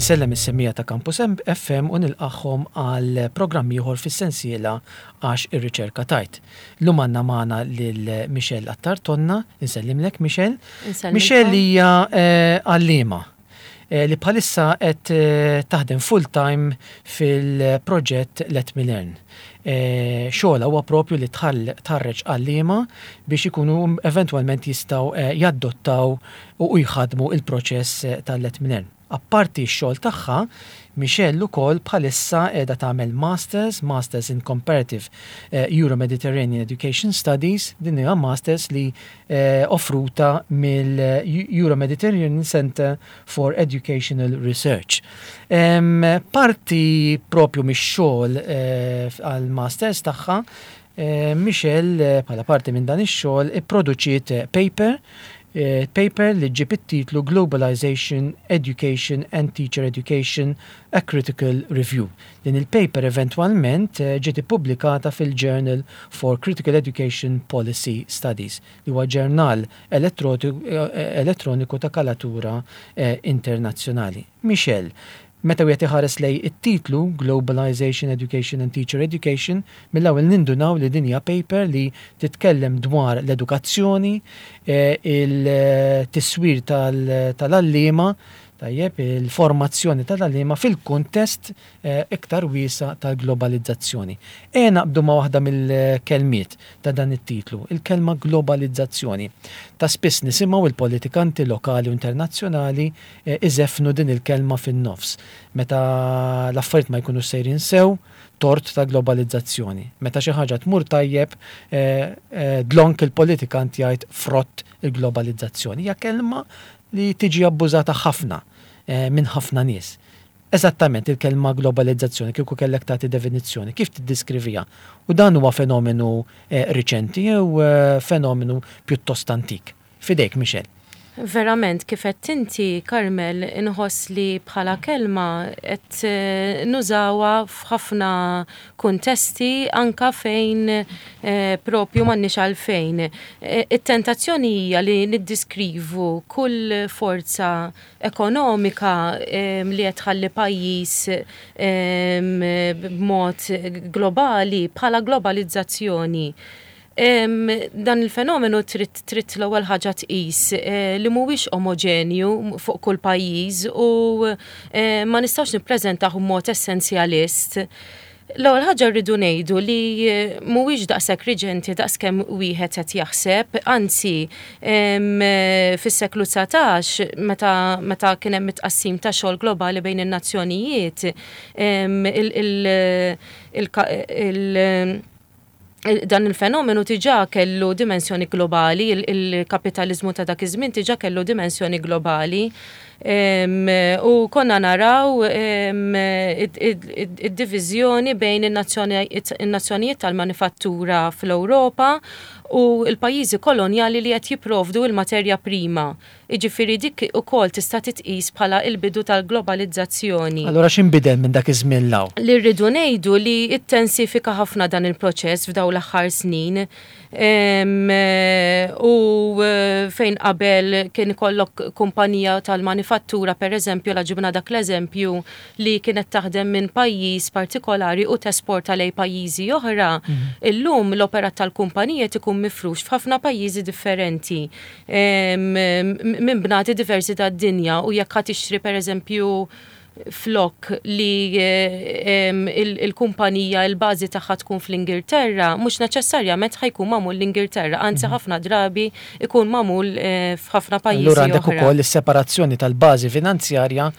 Insellem is-semmiegħa ta' Campus FM u nilqagħhom għal programm ieħor fis-sensiela Għax ir-Riċerka Tgħid. Llum għandna magħna lil Michelle Attard Tonna, insellimlek Michelle. Michelle hija għalliema li bħalissa qed taħdem full-time fil-proġett Let Me Learn. Xogħolha huwa propju li tħarreġ għalliema biex ikunu eventwalment jistgħu jaddottaw u jħaddmu l-proċess tal-Let Me Learn. Apparti x-xogħol tagħha, Michelle ukoll bħalissa qiegħda tagħmel Masters, Masters in Comparative Euro-Mediterranean Education Studies, din hija Masters li offruta mill-Euro-Mediterranean Centre for Educational Research. Parti propju mix-xogħol għall-Masters tagħha, Michelle bħala parti minn dan ix-xogħol ipproduċiet paper, paper li ġġib it-titlu Globalization, Education and Teacher Education, A Critical Review. Din il-paper eventwalment ġiet ippubblikata fil-Journal for Critical Education Policy Studies, li huwa ġurnal elettroniku ta' kalatura internazzjonali. Michelle, Meta wieħed iħares lejn it-titlu, Globalization, Education and Teacher Education, mill-ewwel nindunaw li din hija paper li titkellem dwar l-edukazzjoni, il-tiswir tal-għalliema, tajjeb, il-formazzjoni tal-għalliema fil-kuntest iktar wiesa' tal-globalizzazzjoni. Ejja naqbdu ma' waħda mill-kelmiet ta' dan it-titlu, il-kelma globalizzazzjoni. Ta' spiss nisimgħu l-politikanti lokali u internazzjonali iżeffnu din il-kelma fin-nofs. Meta l-affarijiet ma jkunux sejrin sew, tort ta' globalizzazzjoni. Meta xi ħaġa tmur tajjeb, dlonk il-politikant jgħid frott il-globalizzazzjoni. Hija kelma li tiġi abbużata ħafna minn ħafna nies. Eżattament il-kelma globalizzazzjoni kieku kellek tagħti definizzjoni, kif tiddiskriviha? U dan huwa fenomenu riċenti jew fenomenu pjuttost antik? F'idejk, Michelle. Verament, kif għedt inti, Carmel, inħoss li bħala kelma qed nużawha f'ħafna kuntesti anke fejn propju m'għandniex għalfejn. It-tentazzjoni hija li niddiskrivu kull forza ekonomika li qed tħalli pajjiż b'mod globali bħala globalizzazzjoni. Dan il-fenomenu trid trid l-ewwel ħaġa tqis eh, li mhuwiex omoġenju fuq kull pajjiż u eh, ma nistgħux nippreżentah b'mod essenzjalist. L-ewwel ħaġa rridu ngħidu li eh, mhuwiex daqshekk riġenti daqskemm wieħed qed jaħseb, anzi fis-seklu 19 meta meta kien hemm it-tqassim ta' xogħol globali bejn in-nazzjonijiet il, il, il, il dan il-fenomenu diġà kellu dimensjoni globali, il-kapitaliżmu ta' dak iż-żmien diġà kellu dimensjoni globali. U konna naraw id-diviżjoni bejn in-nazzjonijiet tal-manifattura fl-Ewropa u l-pajjiżi kolonjali li qed jipprovdu l-materja prima. Jiġifieri dik ukoll tista' titqis bħala l-bidu tal-globalizzazzjoni. Allura x'inbidel minn dak iż-żmien 'l hawn? Li rridu ngħidu li ttensifika ħafna dan il-proċess f'dawn l-aħħar snin. U fejn qabel kien ikollok kumpanija tal-manifattura pereżempju, la ġibna dak l-eżempju, li kienet taħdem minn pajjiż partikolari u tesporta lejn pajjiżi oħra, illum l-operat tal-kumpanija qed ikun mifrux f'ħafna pajjiżi differenti. Minn bnati diversi tad-dinja u jekk ħa tixtri pereżempju flok li il-kumpanija il-bażi tagħha tkun fl-Ingilterra, mhux neċessarjament ħa jkun magħmul l-Ingilterra, anzi mhm. ħafna drabi ikun magħmul eh, f'ħafna pajjiżi. Allura għandek ukoll is-separazzjoni tal-bażi finanzjarja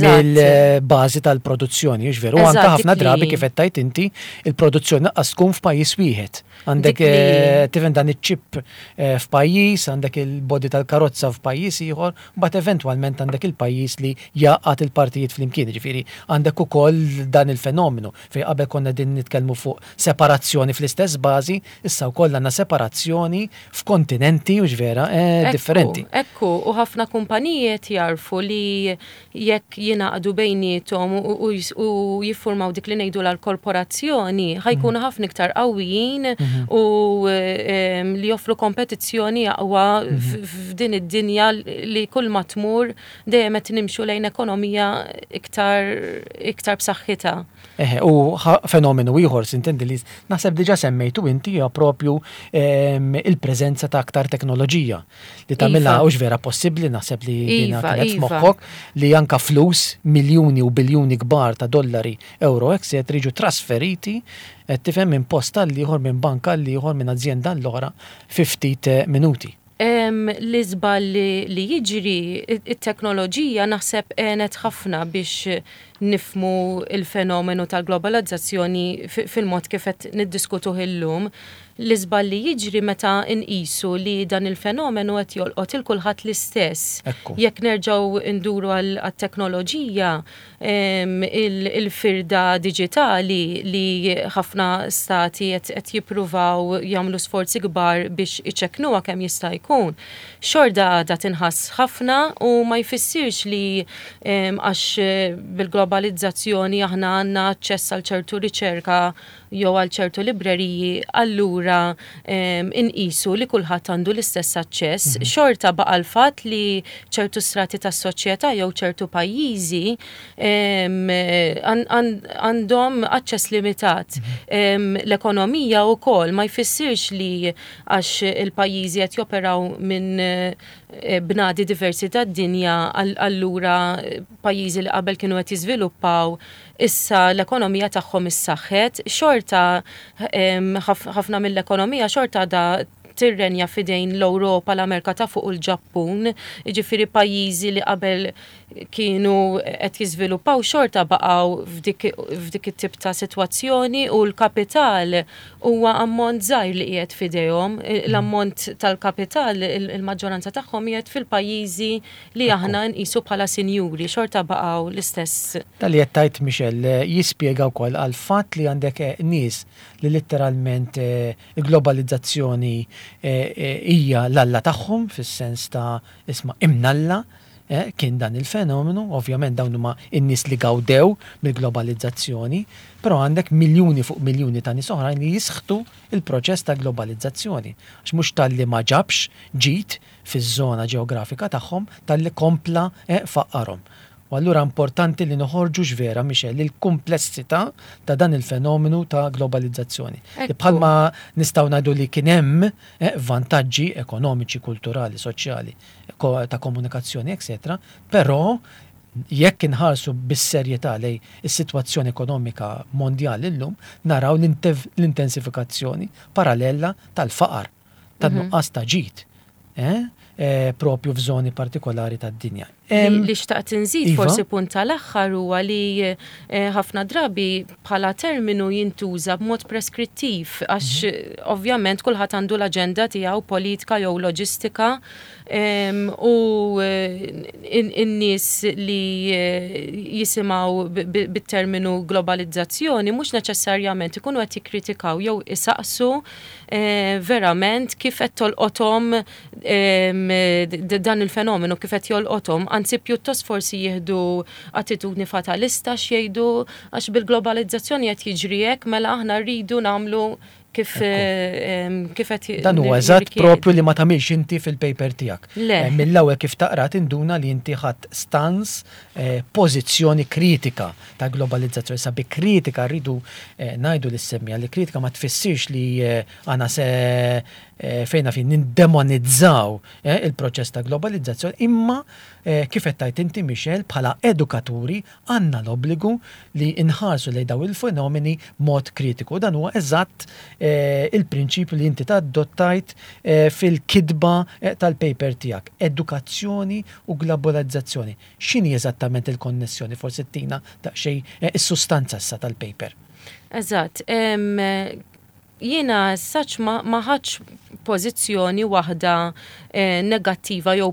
mill-bażi tal-produzzjoni, veru? Anke ħafna drabi kif qed tgħid inti, il-produzzjoni lanqas tkun f'pajjiż wieħed. Għandek eh, tifhem dan iċ-ċip eh, f'pajjiż, għandek il-body tal-karozza f'pajjiż ieħor, mbagħad eventwalment għandek il-pajjiż li jgħaqqad il-partijiet flimkien. Ġifieri għandek ukoll dan il-fenomenu fejn qabel konna din nitkellmu fuq separazzjoni fl-istess bażi, issa wkoll għandna separazzjoni f'kontinenti u vera eh, differenti. Ekku, u ħafna kumpaniji qed jarfu li jekk jingħaqdu bejniethom u jiffurmaw dik li ngħidulha l-korporazzjoni, ħa jkunu mhm. ħafna iktar qawwijin mhm. u ehm, li joffru kompetizzjoni aqwa mhm. f'din id-dinja li kull ma tmur dejjem qed nimxu lejn ekonomija iktar iktar b'saħħitha. Eħe, u fenomenu ieħor sintendi li naħseb diġà semmejtu inti hija propju il-preżenza ta' aktar teknoloġija li tagħmilha iva. hux vera possibbli naħseb li dina iva, kienet iva. f'moħħok li anka flus miljuni u biljuni kbar ta' dollari, euro, etc. jiġu trasferiti qed tifhem minn post għal ieħor minn banka għal ieħor minn azjenda għall oħra fi ftit eh, minuti. L-iżball li jiġri, it-teknoloġija naħseb għenet ħafna biex nifhmu l-fenomenu tal-globalizzazzjoni fil-mod kif qed niddiskutuh illum. L-iżball li jiġri meta nqisu li dan il-fenomenu qed jolqot 'il kulħadd l-istess. Jekk nerġgħu nduru għat-teknoloġija, il-firda diġitali li ħafna stati qed jippruvaw jagħmlu sforzi kbar biex iċekknuha kemm jista' jkun, xorta għadha tinħass ħafna u ma jfissirx li għax bil-globalizzazzjoni aħna għandna aċċess għal ċertu riċerka jew għal ċertu libreriji allura inqisu li kulħadd għandu l-istess aċċess. Xorta baqa' l-fatt li ċertu strati tas-soċjetà jew ċertu pajjiżi għandhom aċċess limitat. L-ekonomija wkoll ma jfissirx li għax il-pajjiżi qed joperaw minn eh, bnadi diversi tad-dinja allura pajjiżi li qabel kienu qed jiżviluppaw issa l-ekonomija tagħhom issaħħet, xorta ħafna mill-ekonomija xorta għadha tirrenja f'idejn l-Ewropa, l-Amerika ta' fuq u l-Ġappun, jiġifieri pajjiżi li qabel kienu qed jiżviluppaw xorta baqgħu f'dik it-tip ta' sitwazzjoni u l-kapital huwa ammont żgħir li qiegħed f'idejhom. L-ammont tal-kapital il-maġġoranza tagħhom qiegħed fil-pajjiżi li aħna nqisu bħala sinjuri, xorta baqgħu l-istess. Dan li qed tgħid Michelle jispjega wkoll għall-fatt li għandek nies li litteralment il-globalizzazzjoni hija l-alla tagħhom fis-sens ta' isma' imnalla kien dan il-fenomenu, ovvjament dawn huma n-nies li gawdew mill-globalizzazzjoni, però għandek miljuni fuq miljuni ta' nies oħrajn li jisħtu l-proċess ta' globalizzazzjoni għax mhux talli ma ġabx ġid fiż-żona ġeografika tagħhom talli kompla faqqarhom. U allura importanti li noħorġu x'vera, Michelle, il-kumplessità ta' dan il-fenomenu ta' globalizzazzjoni. Li bħalma nistgħu ngħidu li kien hemm vantaġġi ekonomiċi, kulturali, soċjali, ta' komunikazzjoni, etcetera, però jekk inħarsu bis-serjetà lejn is-sitwazzjoni ekonomika mondjali llum, naraw l-intensifikazzjoni parallela tal-faqar. tan-nuqqas ta' ġid propju f'żoni partikolari tad-dinja. Li xtaqt inżid iva. forsi punt tal-aħħar huwa li ħafna drabi bħala terminu jintuża b'mod preskrittiv għax ovvjament kulħadd għandu l-aġenda tiegħu politika jew loġistika u n-nies li jisimgħu bit-terminu globalizzazzjoni mhux neċessarjament ikunu qed jikkritikaw jew isaqsu verament kif qed tolqothom dan il-fenomenu kif qed jolqothom, anzi pjuttost forsi jieħdu attitudni fatalista x'jgħidu għax bil-globalizzazzjoni qed jiġri hekk mela aħna rridu nagħmlu kif kif qed Dan huwa eżatt propju li ma tagħmilx inti fil-paper tiegħek. Mill-ewwel kif taqra tinduna li inti ħadt stance pożizzjoni kritika ta' globalizzazzjoni. Sa bi kritika rridu ngħidu lis-semmiegħa li kritika ma tfissirx li aħna se fejna fin nindemonizzaw il-proċess ta' globalizzazzjoni, imma kif qed tgħid inti Michelle bħala edukaturi għandna l-obbligu li nħarsu lejn dawn il-fenomeni b'mod kritiku. Dan huwa eżatt il-prinċipju li inti adottajt fil-kitba tal-paper tiegħek, edukazzjoni u globalizzazzjoni. X'inhi eżattament il-konnessjoni? Forsi ttina daqsxejn is-sustanza issa tal-paper. Eżatt. Jiena as such ma ħadtx pożizzjoni waħda negattiva jew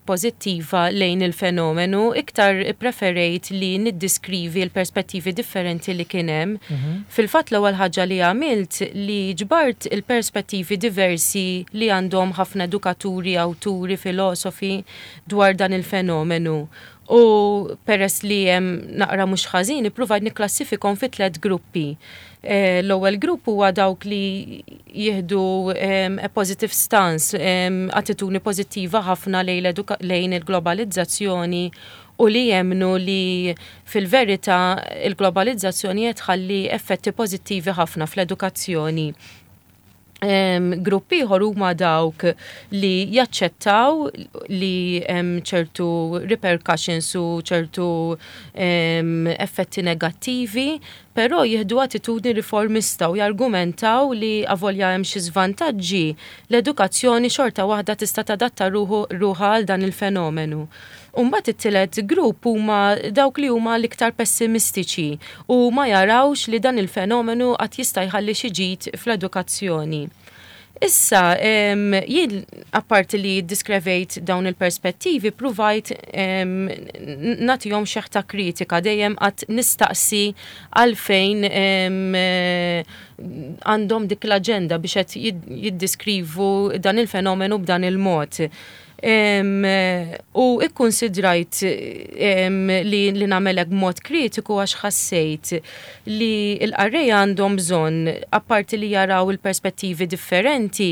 pożittiva lejn il-fenomenu, iktar ippreferejt li niddiskrivi l-perspettivi differenti li kien hemm. Fil-fatt l-ewwel ħaġa li għamilt li ġbart il-perspettivi diversi li għandhom ħafna edukaturi, awturi, filosofi dwar dan il-fenomenu u peress li hemm naqra mhux ħażin ippruvajt nikklassifikhom fi tlett gruppi. L-ewwel grupp huwa dawk li jieħdu a positive stance, attitudni pożittiva ħafna lejn il-globalizzazzjoni. u li jemmnu li fil-verità il-globalizzazzjoni qed tħalli effetti pożittivi ħafna fl-edukazzjoni. Grupp ieħor huma dawk li jaċċettaw li hemm ċertu repercussions u ċertu effetti negattivi, però jieħdu attitudni riformista u jargumentaw li avolja hemm xi żvantaġġi, l-edukazzjoni xorta waħda tista' tadatta ruħha għal dan il-fenomenu. U mbagħad it-tielet grupp huma dawk li huma l-iktar pessimistiċi u ma jarawx li dan il-fenomenu qatt jista' jħalli xi ġid fl-edukazzjoni. Issa, jien apparti li ddiskrevejt dawn il-perspettivi, pruvajt nagħtihom xeħta kritika, dejjem qatt nistaqsi għalfejn għandhom dik l-aġenda biex qed jiddiskrivu dan il-fenomenu b'dan il-mod. U ikkunsidrajt li li nagħmel hekk b'mod kritiku għax ħassejt li l-qarrejja għandhom bżonn, apparti li jaraw il-perspettivi differenti,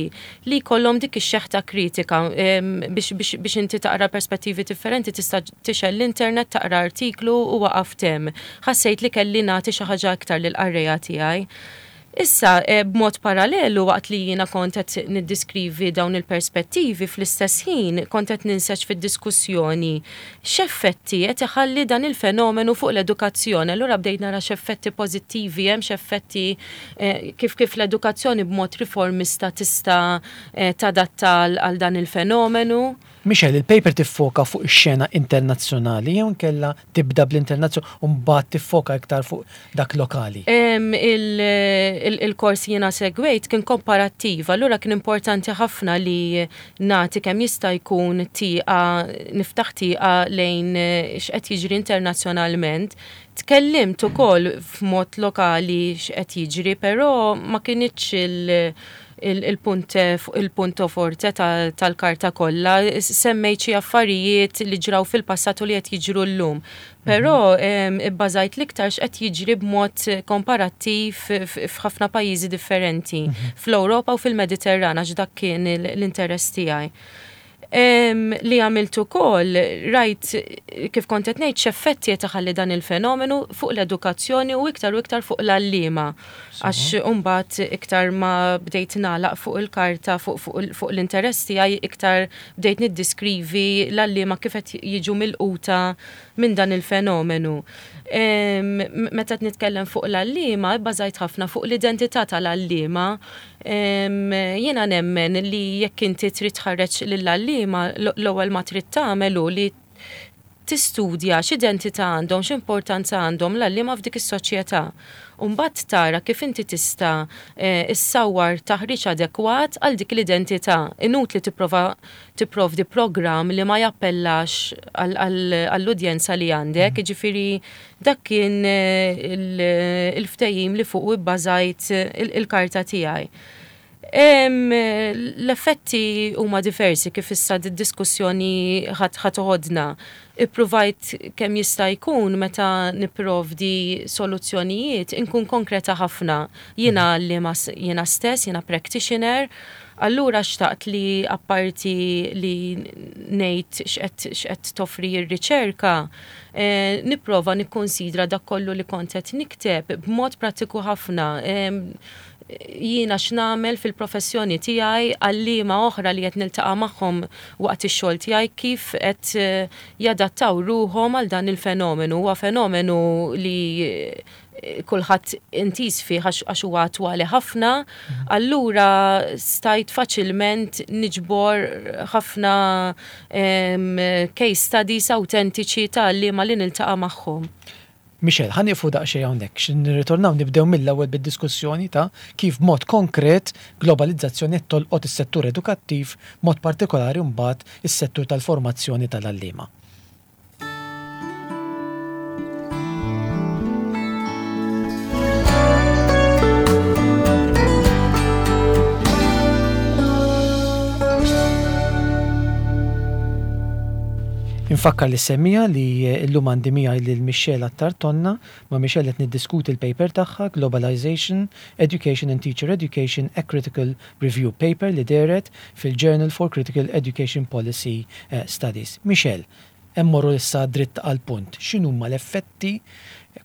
li jkollhom dik ix-xeħta kritika biex biex inti taqra perspettivi differenti tista' tixgħel l-internet taqra artiklu u waqaft hemm. Ħassejt li kelli nagħti xi ħaġa iktar lill-qarrejja tiegħi. Issa, b'mod parallelu waqt li jiena kont qed niddiskrivi dawn il-perspettivi, fl-istess ħin kont qed ninseġ fid-diskussjoni x'effetti qed iħalli dan il-fenomenu fuq l-edukazzjoni. Allura bdejt nara x'effetti pożittivi hemm, x'effetti kif kif l-edukazzjoni b'mod riformista tista' tadatta għal dan il-fenomenu. Michelle, il-paper tiffoka fuq ix-xena internazzjonali jew inkella tibda bl-internazzjonali u mbagħad tiffoka iktar fuq dak lokali? Il-kors li jiena segwejt kien komparattiv, allura kien importanti ħafna li nagħti kemm jista' jkun tieqa, niftaħ tieqa lejn x'qed jiġri internazzjonalment. Tkellimt ukoll f'mod lokali x'qed jiġri, però ma kinitx il- il-punt il-punto forte tal-karta kollha, semmejt xi affarijiet li ġraw fil-passat u li qed jiġru llum. Però mhm. ibbażajt l-iktar x'qed jiġri b'mod komparattiv f'ħafna pajjiżi differenti, mhm. fl-Ewropa u fil-Mediterran għax dak kien l-interess tiegħi. Li għamilt ukoll, rajt kif kont qed ngħid x'effetti qed iħalli dan il-fenomenu fuq l-edukazzjoni u iktar u iktar fuq l-għalliema. Għax imbagħad iktar ma bdejt nagħlaq fuq il-karta fuq l-interess tiegħi iktar bdejt niddiskrivi l-għalliema kif qed jiġu milquta minn dan il-fenomenu. Meta qed nitkellem fuq l-għalliema, ibbażajt ħafna fuq l-identità tal-għalliema. Jiena nemmen li jekk inti trid tħarreġ lill-għalliema, l-ewwel ma trid tagħmel hu li tistudja x'identità għandhom, x'importanza għandhom l-għalliema f'dik is-soċjetà. U mbagħad tara kif inti tista' eh, issawwar taħriġ adekwat għal dik l-identità. Inutli tipprova tipprovdi programm li ma jappellax għall-udjenza li għandek, jiġifieri Dak kien il-ftehim li fuqu bbażajt il-karta tiegħi. L-effetti huma diversi kif issa d-diskussjoni ħa toħodna. Ippruvajt kemm jista' jkun meta nipprovdi soluzzjonijiet inkun konkreta ħafna. Jiena għalliema jiena stess, jiena practitioner, allura xtaqt li apparti li ngħid x'qed toffri r-riċerka, nipprova nikkunsidra dak kollu li kont qed nikteb b'mod prattiku ħafna. Jiena x'nagħmel fil-professjoni tiegħi, għalliema oħra li qed niltaqa' magħhom waqt ix-xogħol tiegħi kif qed jadattaw ruħhom għal dan il-fenomenu. Huwa fenomenu li kulħadd intiż fih għax huwa attwali ħafna, allura stajt faċilment niġbor ħafna case studies awtentiċi ta' għalliema li niltaqa' magħhom. Michelle, ħa nieqfu daqsxejn hawnhekk, xi nirritornaw nibdew mill-ewwel bid-diskussjoni ta' kif b'mod konkret globalizzazzjoni qed tolqot is-settur edukattiv, b'mod partikolari mbagħad is-settur tal-formazzjoni tal-għalliema. Infakkar lis-semmiegħa li llum għandi miegħi lil Michelle Attard Tonna. Ma' Michelle qed niddiskuti l-paper tagħha Globalization, Education and Teacher Education, A Critical Review Paper li dehret fil-Journal for Critical Education Policy Studies. Michelle, Immorru issa dritt għall-punt. X'inhuma l-effetti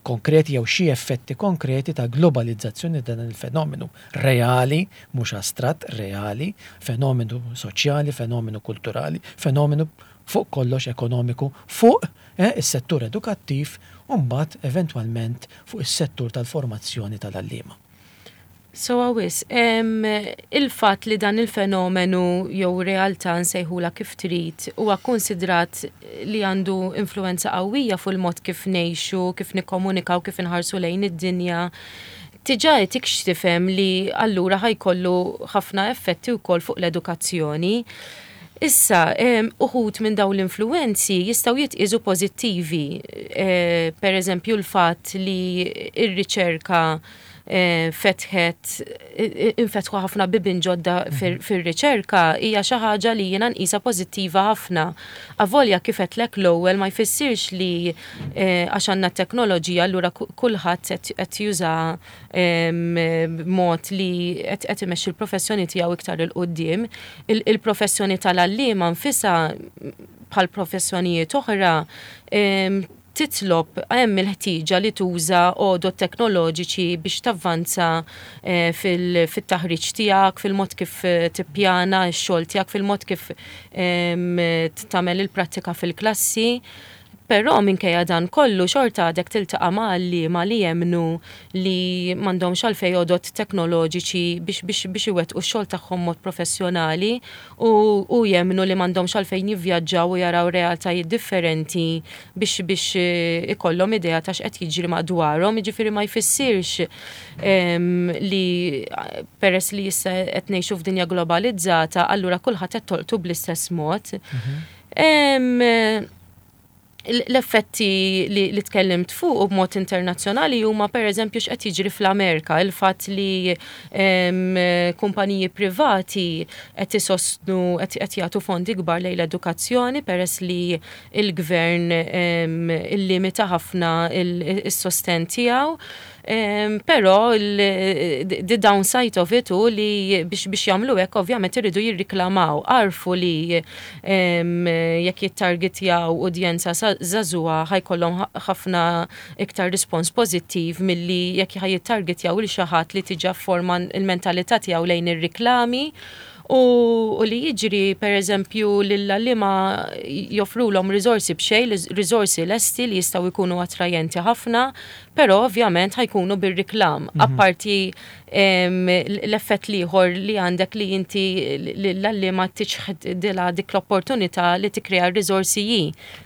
konkreti jew xi effetti konkreti ta' globalizzazzjoni ta' dan il-fenomenu reali, mhux astratt, reali, fenomenu soċjali, fenomenu kulturali, fenomenu fuq kollox ekonomiku fuq is-settur edukattiv u mbagħad eventwalment fuq is-settur tal-formazzjoni tal-għalliema. Sewwa wisq. Il-fatt li dan il-fenomenu jew realtà nsejħulha kif trid huwa kkunsidrat li għandu influwenza qawwija fuq il-mod kif ngħixu, kif nikkomunikaw, kif inħarsu lejn id-dinja, diġà jtik x'tifhem li allura ħa jkollu ħafna effetti wkoll fuq l-edukazzjoni. Issa, uħud minn dawn l-influwenzi jistgħu jitqiesu pożittivi, pereżempju l-fatt li r-riċerka fetħet infetħu ħafna bibien ġodda fir-riċerka hija xi ħaġa li jiena nqisha pożittiva ħafna. Avolja kif għedtlek l-ewwel ma jfissirx li għax għandna t-teknoloġija allura kulħadd qed jużaha b'mod li qed imexxi l-professjoni tiegħu iktar 'il quddiem. Il-professjoni tal-għalliema nfisha bħal professjonijiet oħra titlob, hemm il-ħtieġa li tuża għodod teknoloġiċi biex tavvanza fil-taħriġ tiegħek, fil-mod kif tippjana x-xogħol tiegħek, fil-mod kif tagħmel il-prattika fil-klassi. Però minkejja dan kollu xorta għadek tiltaqa' ma' għalliema li jemmnu li m'għandhomx għalfejn għodod teknoloġiċi biex biex biex iwettqu x-xogħol tagħhom mod professjonali u u jemmnu li m'għandhomx għalfejn jivvjaġġaw u jaraw realtajiet differenti biex biex ikollhom idea ta' x'qed jiġri madwarhom. Jiġifieri ma jfissirx li peress li issa qed ngħixu f'dinja globalizzata allura kulħadd qed tolqtu bl-istess mod. L-effetti li tkellimt fuq u b'mod internazzjonali huma pereżempju x'qed jiġri fl-Amerika, il-fatt li kumpaniji privati qed isostnu qed jagħtu fondi kbar lejn l-edukazzjoni peress li l-gvern illimita ħafna s-sostenn tiegħu. Però the downside of it hu li biex biex jagħmlu hekk ovvjament iridu jirriklamaw. Għarfu li jekk jittargetjaw udjenza żagħżugħa ħa jkollhom ħafna iktar rispons pożittiv milli jekk ħa jittargetjaw lil xi ħadd li diġà fforma l-mentalità tiegħu lejn ir-riklami u li jiġri pereżempju lill-għalliema joffrulhom riżorsi b'xejn, riżorsi lesti li jistgħu jkunu attrajenti ħafna, Però ovvjament ħa jkunu bir-riklam. Apparti l-effett l-ieħor li għandek li inti l-għalliema tiċħdilha dik l-opportunità li tikkrea r-riżorsi hi.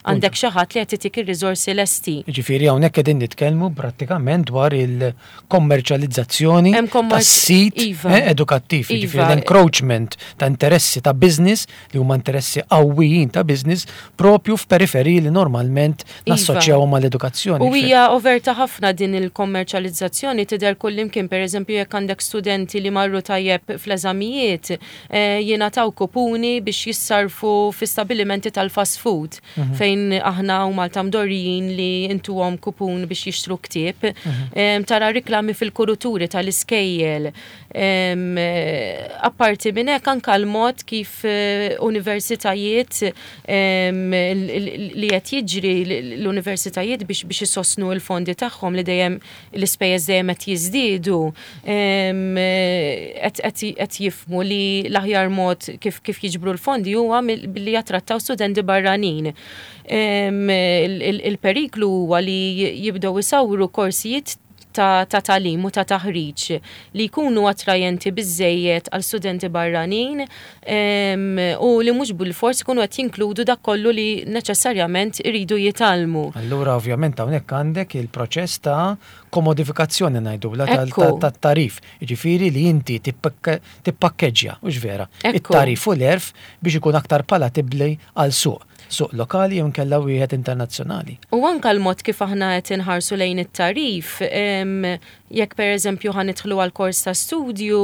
Għandek xi ħadd li qed itik ir-riżorsi lesti. Jiġifieri hawnhekk qegħdin nitkellmu prattikament dwar il-kommerċjalizzazzjoni tas-sit iva. Eh, edukattiv, jiġifieri iva. l-encroachment ta' interessi ta' business li huma interessi qawwijin ta' business propju f'periferiji li normalment iva. nassoċjawhom mal-edukazzjoni. U hija overta ħafna din il-kommerċjalizzazzjoni tidher kullimkien, pereżempju jekk għandek studenti li marru tajjeb fl-eżamijiet, eh, jingħataw kupuni biex jissarfu fi stabilimenti tal-fast food mhm. fejn aħna u Malta mdorrijin li intuhom kupun biex jixtru ktieb. Mhm. Tara riklami fil-kuruturi tal-iskejjel Apparti minn hekk anke l-mod kif eh, universitajiet li qed jiġri l-universitajiet biex biex isostnu l-fondi tagħhom li dejjem l-ispejjeż dejjem qed jiżdiedu qed jifhmu li l-aħjar mod kif kif jiġbru l-fondi huwa billi jattrattaw studenti barranin. Il-periklu huwa li jibdew isawru korsijiet ta' tagħlim u ta' taħriġ li jkunu attrajenti biżżejjed għal studenti barranin u li mhux bilfors ikunu qed jinkludu dak kollu li neċessarjament iridu jitgħallmu. Allura ovvjament hawnhekk għandek il-proċess ta' komodifikazzjoni ngħidulha tat-tagħrif, jiġifieri li inti tippakkeġġja, hux vera, it-tagħrif u l-għerf biex ikun aktar palatibbli għal suq. Suq lokali jew inkella wieħed internazzjonali. U anke l-mod kif aħna qed inħarsu lejn it-tagħrif, jekk pereżempju ħa nidħlu għal kors ta' studju,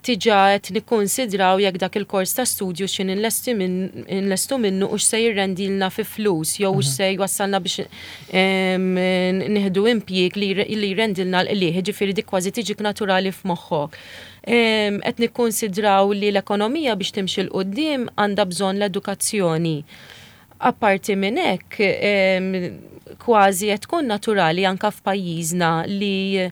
diġà qed nikkunsidraw jekk dak il-kors ta' studju xi nlestu minnu hux se jirrendilna fi flus jew hux se jwassalna biex nieħdu impjieg li jrendilna l-qligħ, jiġifieri dik kważi tiġik naturali f'moħħok. Qed nikkunsidraw li l-ekonomija biex timxi 'l quddiem għandha bżonn l-edukazzjoni. Apparti minn hekk, kważi qed tkun naturali anke f'pajjiżna li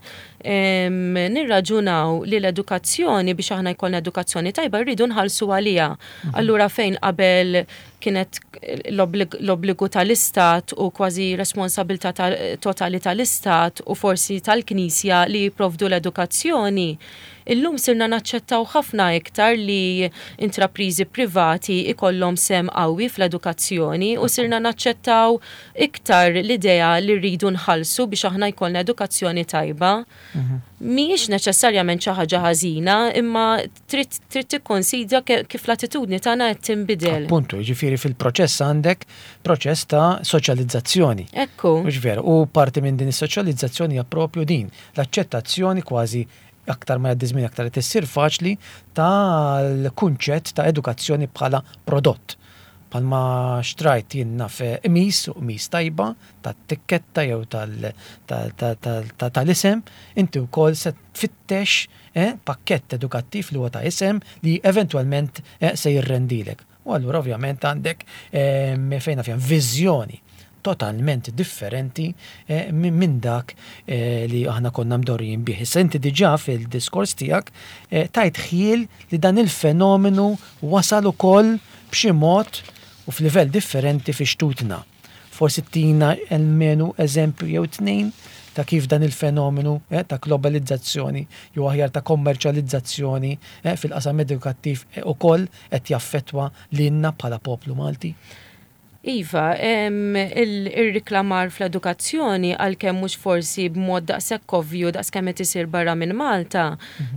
nirraġunaw li l-edukazzjoni biex aħna jkollna edukazzjoni tajba rridu nħallsu għaliha. Allura fejn qabel kienet l-obbligu tal-istat u kważi responsabilità totali tal-istat u forsi tal-Knisja li jipprovdu l-edukazzjoni, illum sirna naċċettaw ħafna iktar li intrapriżi privati ikollhom sehem qawwi fl-edukazzjoni u sirna naċċettaw iktar l-idea li rridu nħallsu biex aħna jkollna edukazzjoni tajba. Mhijiex neċessarjament xi ħaġa ħażina, imma trid trid tikkonsidra kif l-attitudni tagħna qed tinbidel. Appuntu, jiġifieri fil-proċess għandek proċess ta' soċjalizzazzjoni. Ekku. Mhux veru, u parti minn din is-soċjalizzazzjoni hija propju din, l-aċċettazzjoni kważi aktar ma jgħaddi żmien aktar qed issir faċli tal-kunċett ta' edukazzjoni bħala prodott. Bħalma xtrajt jien naf qmis u qmis tajba tat-tikketta jew tal-isem, inti wkoll se tfittex pakkett edukattiv li huwa ta' isem li eventwalment se jirrendilek. U allura ovvjament għandek fejn naf jien viżjoni totalment differenti minn dak li aħna konna mdorrijin bih. Issa inti diġà fil-diskors tiegħek tajt ħjiel li dan il-fenomenu wasal ukoll b'xi mod u f'livell differenti fi xtutna. Forsi ttina almenu eżempju jew tnejn ta' kif dan il-fenomenu ta' globalizzazzjoni jew aħjar ta' kommerċjalizzazzjoni fil-qasam edukattiv ukoll qed jaffettwa lilna bħala poplu Malti? Iva, ir-riklamar fl-edukazzjoni għalkemm mhux forsi b'mod daqshekk ovvju daqskemm qed isir barra minn Malta,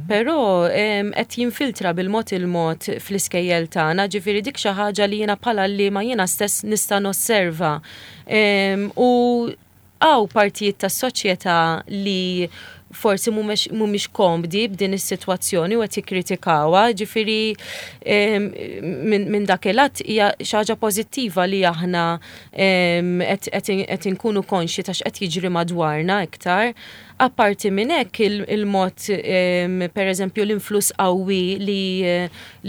però qed jinfiltra bil-mod il-mod fl-iskejjel tagħna, ġifieri dik xi ħaġa li jiena bħala għalliema jiena stess nista' nosserva. U Hawn partijiet tas-soċjetà li forsi mhumiex komdi b'din is-sitwazzjoni u qed jikkritikawha, ġifieri minn dak il-att hija xi ħaġa pożittiva li aħna qed inkunu konxji ta' x'qed jiġri madwarna iktar. Apparti minn hekk il-mod pereżempju l-influss qawwi li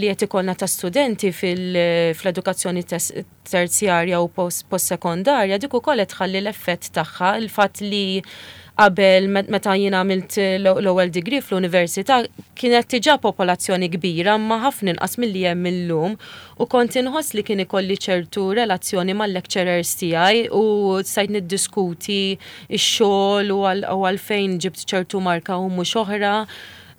qed ikollna ta' studenti fl-edukazzjoni terzjarja u postsekondarja, dik ukoll qed tħalli l-effett tagħha, il-fatt li qabel meta jien għamilt l-ewwel degree fl-università kienet diġà popolazzjoni kbira imma ħafna inqas milli hemm illum u kont inħoss li kien ikolli ċertu relazzjoni mal-lecturers tiegħi u stajt niddiskuti x-xogħol u għalfejn ġibt ċertu marka u mhux oħra.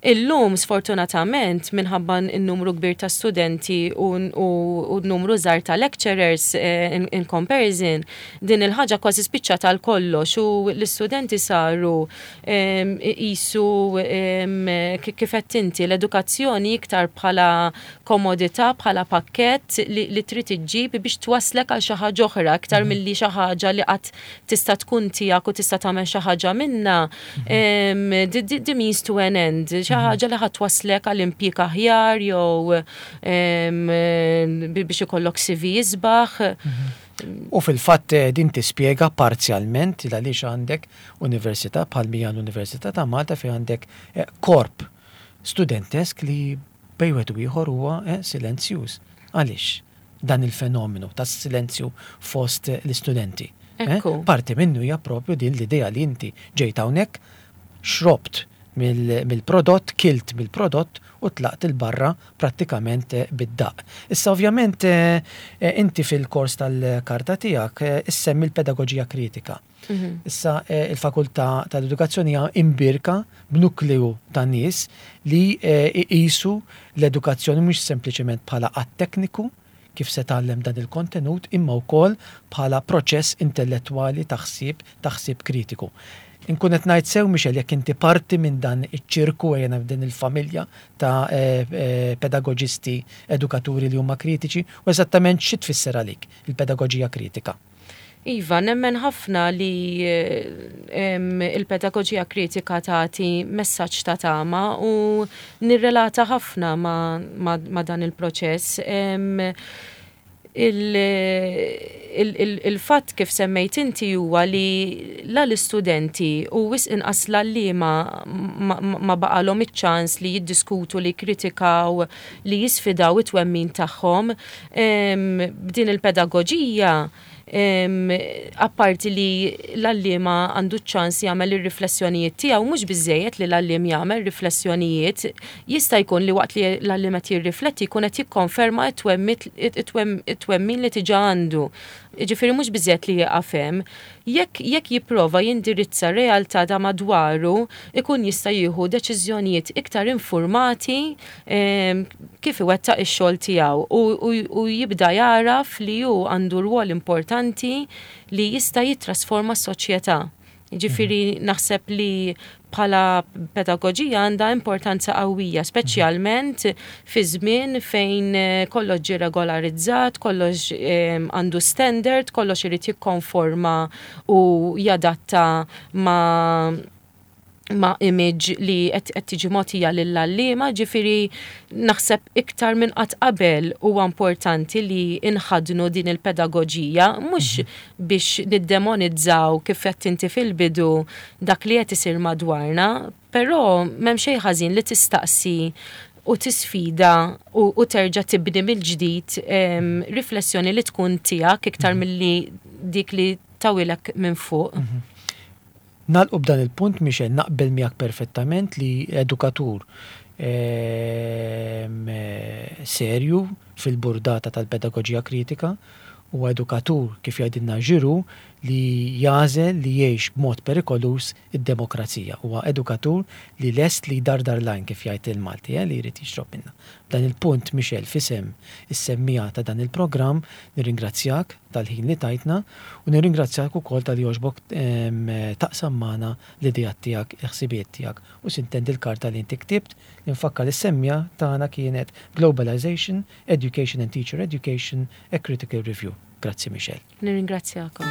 Illum, sfortunatament, minħabba n-numru kbir ta' studenti u n-numru żgħar ta' lecturers in comparison, din il-ħaġa kważi spiċċat għal kollox u l-istudenti saru jqisu kif għedt inti l-edukazzjoni iktar bħala komodità, bħala pakkett li trid iġġib biex twasslek għal xi ħaġa oħra iktar milli xi ħaġa li qatt tista' tkun tiegħek u tista' tagħmel xi ħaġa minnha, the means to an end, xi ħaġa li ħadd twasslek għal impjieg aħjar jew biex ikollok CV isbaħ. U fil-fatt din tispjega parzjalment il għaliex għandek università bħal mija l-Università ta' Malta fejn għandek korp studentesk li bejn wieħed u ieħor huwa silenzjuż. Għaliex? dan il-fenomenu tas-silenzju fost l-istudenti. Eh? Parti minnu hija propju din l-idea li inti ġejt hawnhekk, xrobt mill-prodott, kilt mill-prodott u tlaqt il-barra prattikament eh, bid-daq. Issa ovvjament eh, inti fil-kors tal-karta tiegħek issemmi l-pedagoġija kritika. Issa il-Fakultà tal-Edukazzjoni hija imbierka b'nukleu ta' nies li iqisu l-edukazzjoni mhux sempliċement bħala att tekniku, kif se tgħallem dan il-kontenut, imma wkoll bħala proċess intellettwali ta' ħsieb, ta' ħsieb kritiku. Inkun qed ngħid sew, Michelle, jekk inti parti minn dan iċ-ċirku, ejja ngħidu din il-familja ta' pedagoġisti, edukaturi li huma kritiċi, u eżattament xi tfisser għalik il-pedagoġija kritika? Iva, nemmen ħafna li il-pedagoġija kritika tagħti messaġġ ta' tama u nirrelata ħafna ma' dan il-proċess. Il-fatt kif semmejt inti huwa li la l-istudenti u wisq inqas l-għalliema ma baqalhom iċ-ċans li jiddiskutu, li jikkritikaw, li jisfidaw it-twemmin tagħhom. B'din il-pedagoġija Apparti li l-għalliema għandu ċ-ċans jagħmel ir-riflessjonijiet tiegħu, mhux biżżejjed li l-għalliem jagħmel riflessjonijiet, jista' jkun li waqt li l-għalliem qed jirrifletti jkun qed jikkonferma t-twemmin li diġà għandu. Jiġifieri mhux biżżejjed li jieqaf hemm. Jekk jekk jipprova jindirizza r-realtà ta' madwaru, ikun jista' jieħu deċiżjonijiet iktar infurmati kif iwettaq ix-xogħol tiegħu u u jibda jagħraf li hu għandu rwol importanti li jista' jittrasforma s-soċjetà. Jiġifieri naħseb li bħala pedagoġija għandha importanza qawwija, speċjalment fi żmien fejn kollox ġie regolarizzat, kollox għandu standard, kollox irid jikkonforma u jadatta ma' ma' image li qed tiġi mogħtija lill-għalliema, ġifieri naħseb iktar minn qatt qabel huwa importanti li nħaddnu din il-pedagoġija mhux biex niddemonizzaw kif għedt inti fil-bidu dak li qed isir madwarna, però m'hemm xejn ħażin li tistaqsi u tisfida u terġa' tibni mill-ġdid riflessjoni li tkun tiegħek iktar milli dik li tawilek minn fuq. Nagħlqu b'dan il-punt, Michelle, naqbel miegħek perfettament li edukatur serju fil-burdata tal-pedagoġija kritika huwa edukatur, kif jgħidilna Giroux, li jagħżel li jgħix b'mod perikoluż id-demokrazija. Huwa edukatur li lest li jdardar l-għajn, kif jgħid il-Malti, li jrid jixrob minnha. B'dan il-punt, Michelle, f'isem is-semmiegħa ta' dan il-programm, nirringrazzjak tal-ħin li tajtna u nirringrazzjak ukoll talli għoġbok taqsam magħna l-ideat tiegħek, il-ħsibijiet tiegħek u sintendi l-karta li inti ktibt li nfakkar lis-semmiegħa tagħna kienet Globalization, Education and Teacher Education, A Critical Review. Grazzi Michelle. Nirringrazzjakom.